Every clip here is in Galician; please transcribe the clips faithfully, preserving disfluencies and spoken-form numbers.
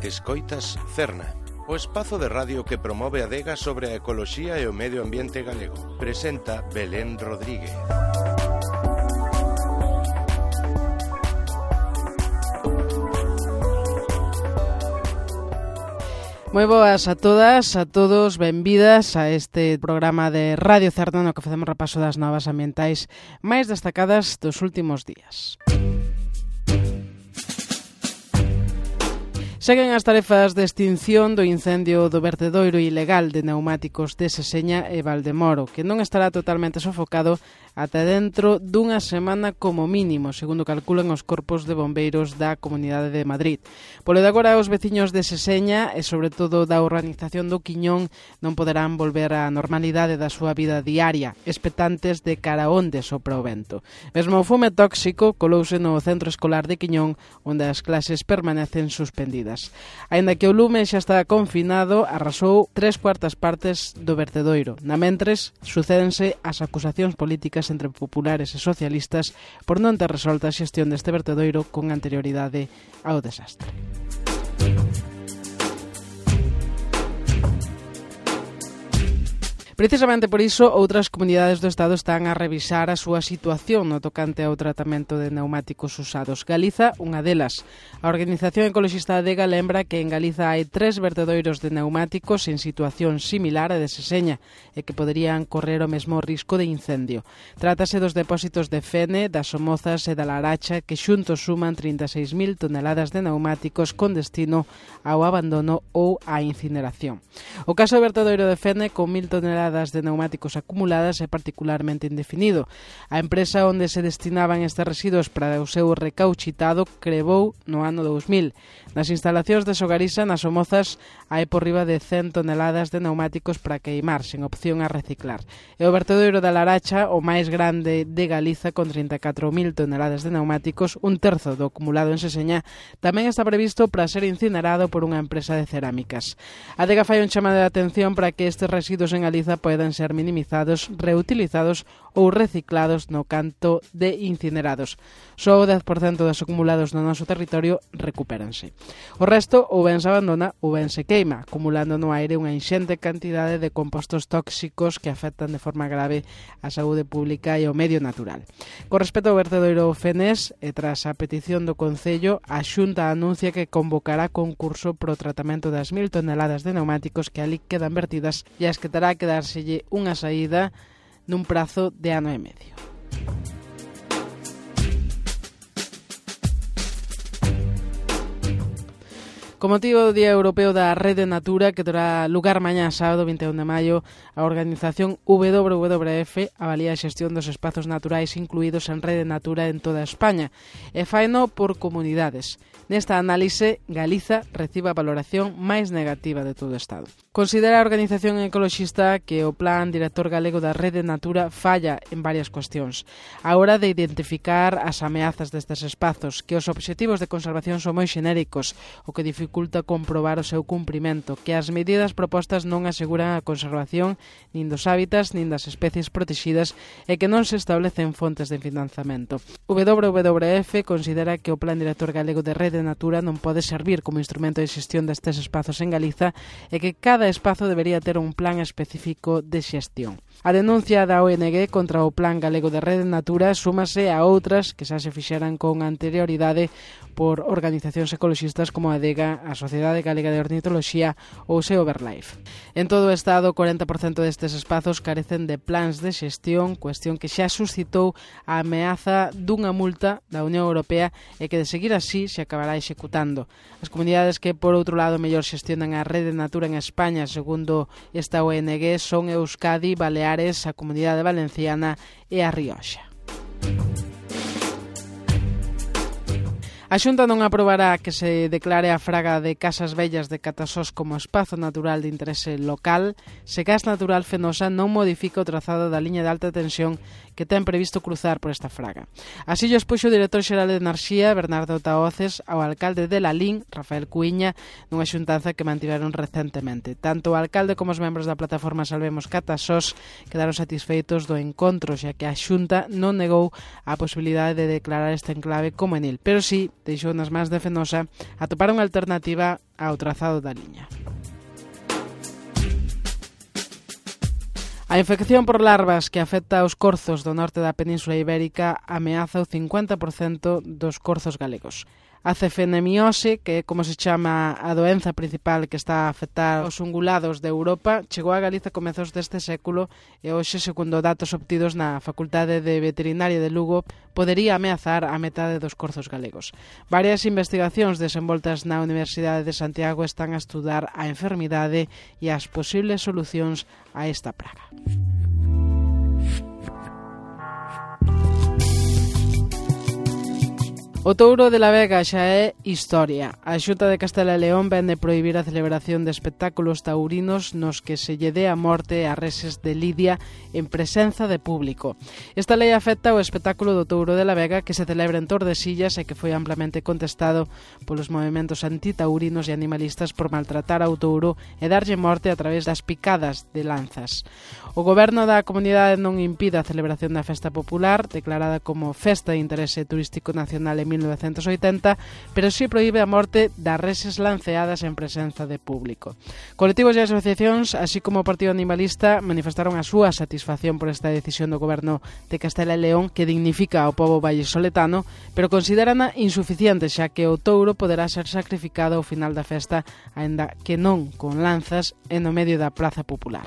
Escoitas Cerna, o espazo de radio que promove a adega sobre a ecoloxía e o medio ambiente galego. Presenta Belén Rodríguez. Moi boas a todas, a todos, benvidas a este programa de Radio Cerna no que facemos repaso das novas ambientais máis destacadas dos últimos días. Seguen as tarefas de extinción do incendio do vertedoiro ilegal de pneumáticos de Seseña e Valdemoro, que non estará totalmente sofocado ata dentro dunha semana como mínimo, segundo calculan os corpos de bombeiros da Comunidade de Madrid. Polo de agora, os veciños de Seseña e, sobre todo, da organización do Quiñón non poderán volver á normalidade da súa vida diaria, expectantes de cara onde sopra o vento. Mesmo o fume tóxico colouse no centro escolar de Quiñón, onde as clases permanecen suspendidas. Aínda que o lume xa está confinado, arrasou tres cuartas partes do vertedoiro. Na mentres, sucédense as acusacións políticas entre populares e socialistas por non ter resolta a xestión deste vertedoiro con anterioridade ao desastre. Precisamente por iso, outras comunidades do Estado están a revisar a súa situación no tocante ao tratamento de pneumáticos usados. Galiza, unha delas. A Organización Ecologista Adega lembra que en Galiza hai tres vertedoiros de pneumáticos en situación similar a de Seseña e que poderían correr o mesmo risco de incendio. Trátase dos depósitos de Fene, das Somozas e da Laracha que xuntos suman trinta e seis mil toneladas de pneumáticos con destino ao abandono ou á incineración. O caso do vertedoiro de Fene, con mil toneladas de pneumáticos acumuladas, é particularmente indefinido. A empresa onde se destinaban estes residuos para o seu recauchitado crebou no ano dous mil. Nas instalacións de Sogarisa, nas Somozas, hai por riba de cen toneladas de pneumáticos para queimar, sen opción a reciclar. E o vertedoiro da Laracha, o máis grande de Galiza, con trinta e catro mil toneladas de pneumáticos, un terzo do acumulado en Seseña, tamén está previsto para ser incinerado por unha empresa de cerámicas. A Adega fai un chamado de atención para que estes residuos en Galiza poden ser minimizados, reutilizados ou reciclados no canto de incinerados. Só o dez por cento dos acumulados no noso territorio recupéranse. O resto ou ben se abandona ou ben se queima, acumulando no aire unha inxente cantidade de compostos tóxicos que afectan de forma grave a saúde pública e o medio natural. Con respecto ao vertedoiro Fenés, e tras a petición do Concello, a Xunta anuncia que convocará concurso pro tratamento das mil toneladas de pneumáticos que ali quedan vertidas e as que terá que dárselle unha saída nun prazo de ano e medio. Con motivo do Día Europeo da Rede Natura, que terá lugar mañá sábado vinte e un de maio, a organización W W F avalía a xestión dos espazos naturais incluídos en Rede Natura en toda España e faino por comunidades. Nesta análise, Galiza recibe a valoración máis negativa de todo o Estado. Considera a organización ecoloxista que o Plan Director Galego da Rede Natura falla en varias cuestións. A hora de identificar as ameazas destes espazos, que os obxectivos de conservación son moi xenéricos, o que dificulta comprobar o seu cumprimento, que as medidas propostas non aseguran a conservación nin dos hábitats nin das especies protegidas e que non se establecen fontes de financiamento. W W F considera que o Plan Director Galego de Rede Natura non pode servir como instrumento de xestión destes espazos en Galiza e que cada espazo debería ter un plan específico de xestión. A denuncia da O N G contra o Plan Galego de Rede Natura súmase a outras que xa se fixeran con anterioridade por organizacións ecoloxistas como a Adega, a Sociedade Galega de Ornitoloxía ou Sea Overlife. En todo o Estado, o corenta por cento destes espazos carecen de plans de xestión, cuestión que xa suscitou a ameaza dunha multa da Unión Europea e que, de seguir así, se acabará executando. As comunidades que, por outro lado, mellor xestionan a Rede Natura en España, segundo esta O N G, son Euskadi, Baleares, a Comunidade Valenciana e a Rioxa. A Xunta non aprobará que se declare a fraga de Casas Vellas de Catasós como espazo natural de interese local se Gas Natural Fenosa non modifica o trazado da liña de alta tensión que ten previsto cruzar por esta fraga. Así llo expuxo o director xeral de Enerxía, Bernardo Tahoces, ao alcalde de Lalín, Rafael Cuíña, nunha xuntanza que mantiveron recentemente. Tanto o alcalde como os membros da plataforma Salvemos Catasós quedaron satisfeitos do encontro, xa que a Xunta non negou a posibilidade de declarar este enclave como enil, pero sí deixou nas mans de Fenosa atopar unha alternativa ao trazado da liña. A infección por larvas que afecta aos corzos do norte da Península Ibérica ameaza o cincuenta por cento dos corzos galegos. A cefenemiose, que é como se chama a doenza principal que está a afectar os ungulados de Europa, chegou a Galiza a comezos deste século e hoxe, segundo datos obtidos na Facultade de Veterinaria de Lugo, podería ameazar a metade dos corzos galegos. Varias investigacións desenvoltas na Universidade de Santiago están a estudar a enfermidade e as posibles solucións a esta praga. O touro de la Vega xa é historia. A Xunta de Castela e León vende prohibir a celebración de espectáculos taurinos nos que se lle dé a morte a reses de lidia en presenza de público. Esta lei afecta o espectáculo do touro de la Vega que se celebra en Tordesillas e que foi amplamente contestado polos movementos antitaurinos e animalistas por maltratar ao touro e darlle morte a través das picadas de lanzas. O goberno da comunidade non impide a celebración da festa popular, declarada como Festa de Interese Turístico Nacional en mil novecentos oitenta, pero si proíbe a morte das reses lanceadas en presenza de público. Colectivos e asociacións, así como o Partido Animalista, manifestaron a súa satisfacción por esta decisión do goberno de Castela e León que dignifica ao pobo vallisoletano, pero considerana insuficiente xa que o touro poderá ser sacrificado ao final da festa, aínda que non con lanzas e no medio da praza popular.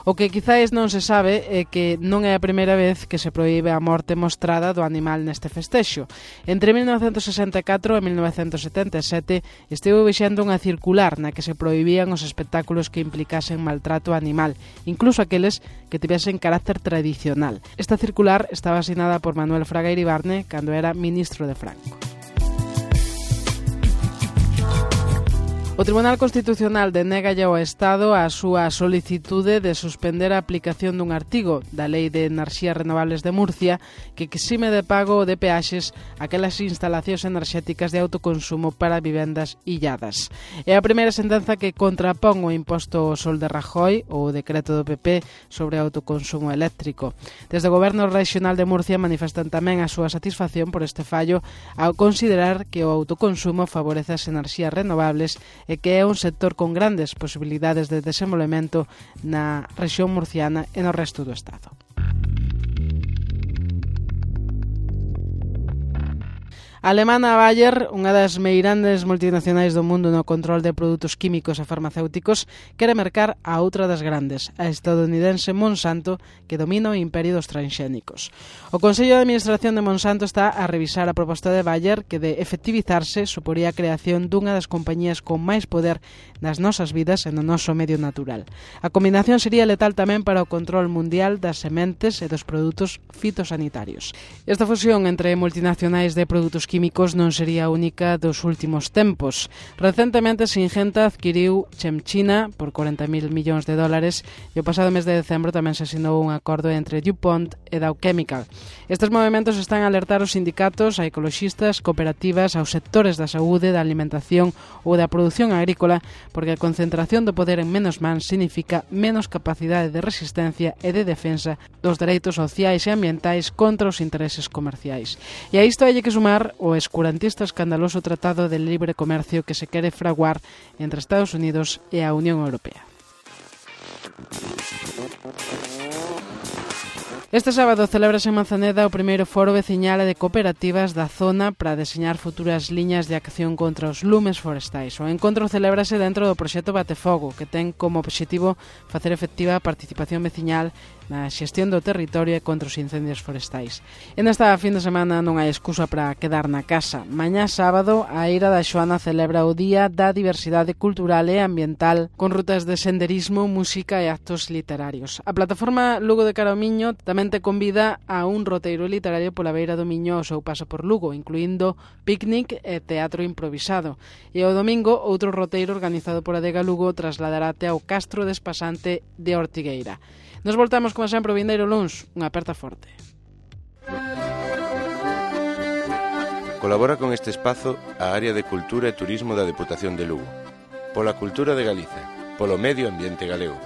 O que quizáis non se sabe é que non é a primeira vez que se proíbe a morte mostrada do animal neste festexo. Entre mil novecentos sesenta e catro e mil novecentos setenta e sete estivo vixendo unha circular na que se prohibían os espectáculos que implicasen maltrato animal, incluso aqueles que tivesen carácter tradicional. Esta circular estaba asinada por Manuel Fraga Iribarne cando era ministro de Franco. O Tribunal Constitucional denégalle ao Estado a súa solicitude de suspender a aplicación dun artigo da Lei de Enerxías Renovables de Murcia que exime de pago de peaxes aquelas instalacións enerxéticas de autoconsumo para vivendas illadas. É a primeira sentenza que contrapón o imposto ao sol de Rajoy ou o decreto do P P sobre autoconsumo eléctrico. Desde o Goberno Regional de Murcia manifestan tamén a súa satisfacción por este fallo ao considerar que o autoconsumo favorece as enerxías renovables e que é un sector con grandes posibilidades de desenvolvemento na rexión murciana e no resto do Estado. A alemana Bayer, unha das meirandes multinacionais do mundo no control de produtos químicos e farmacéuticos, quere mercar a outra das grandes, a estadounidense Monsanto, que domina o imperio dos transxénicos. O Consello de Administración de Monsanto está a revisar a proposta de Bayer que, de efectivizarse, suporía a creación dunha das compañías con máis poder nas nosas vidas e no noso medio natural. A combinación sería letal tamén para o control mundial das sementes e dos produtos fitosanitarios. Esta fusión entre multinacionais de produtos químicos non sería a única dos últimos tempos. Recentemente Singenta adquiriu Chemchina por corenta mil millóns de dólares e o pasado mes de decembro tamén se asinou un acordo entre DuPont e Dow Chemical. Estes movimentos están a alertar os sindicatos, a ecoloxistas, cooperativas, aos sectores da saúde, da alimentación ou da produción agrícola, porque a concentración do poder en menos mans significa menos capacidade de resistencia e de defensa dos dereitos sociais e ambientais contra os intereses comerciais. E a isto hai que sumar o escurantista escandaloso tratado de libre comercio que se quere fraguar entre Estados Unidos e a Unión Europea. Este sábado celébrase en Manzaneda o primeiro foro veciñal e de cooperativas da zona para deseñar futuras liñas de acción contra os lumes forestais. O encontro celébrase dentro do proxecto Batefogo, que ten como obxectivo facer efectiva a participación veciñal na xestión do territorio e contra os incendios forestais. E nesta fin de semana non hai excusa para quedar na casa. Mañá sábado, a Eira da Xoana celebra o Día da Diversidade Cultural e Ambiental con rutas de senderismo, música e actos literarios. A plataforma Lugo de Cara ao Miño tamén te convida a un roteiro literario pola beira do Miño ao seu paso por Lugo, incluindo picnic e teatro improvisado. E o domingo, outro roteiro organizado por Adega Lugo trasladarate ao Castro Despasante de Ortigueira. Nos voltamos, como sempre, o vindeiro luns. Unha aperta forte. Colabora con este espazo a Área de Cultura e Turismo da Deputación de Lugo. Pola cultura de Galiza, polo medio ambiente galego.